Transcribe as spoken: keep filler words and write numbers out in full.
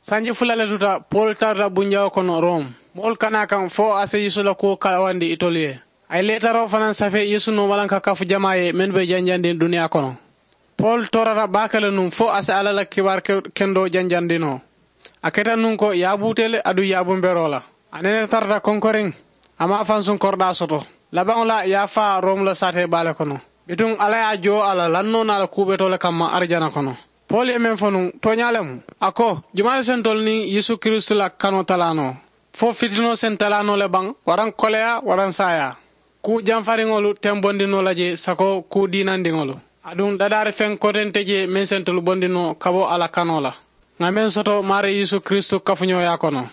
Sanji fula le tuta, pol tarata bunjawo kono rom. Moolu kana kaŋ fo a si yeesu la kuwo kalawandi itolu ye. A ye leetaroo fanaŋ safee yeesu nooma laŋ ka kafu jamaa ye mennu be janjandi duniyaa kono. Pol toorata baake le nuŋ fo a si alla la kibaari kendoo janjandi noo. A keta nuŋ ko yaabuutee le aduŋ yaabumberoo la. A nene tarata konkoriŋ. A maŋ a fansuŋ koridaa soto. Labaŋo la yaafaa romu la saatee baa le kono. Bituŋ alla ye a joo a la lannoo naa la kuu betoo le kamma arijana kono. Pol ye meŋ fo nuŋ tooñaa le mu. A ko jumaa le sentolu niŋ yeesu kiristu la kanoo talaa noo? Fo fitinoo sentalaanoo le baŋ waraŋ koleyaa waraŋ saayaa. Kuu jamfariŋolu tembondi noo la je sako kuu diinandiŋolu. Aduŋ dadaari feŋ kote nte je meŋ sentolu bondi noo ka bo a la kanoo la. Ŋa meŋ soto maarii yeesu kiristu kafuñooyaa kono.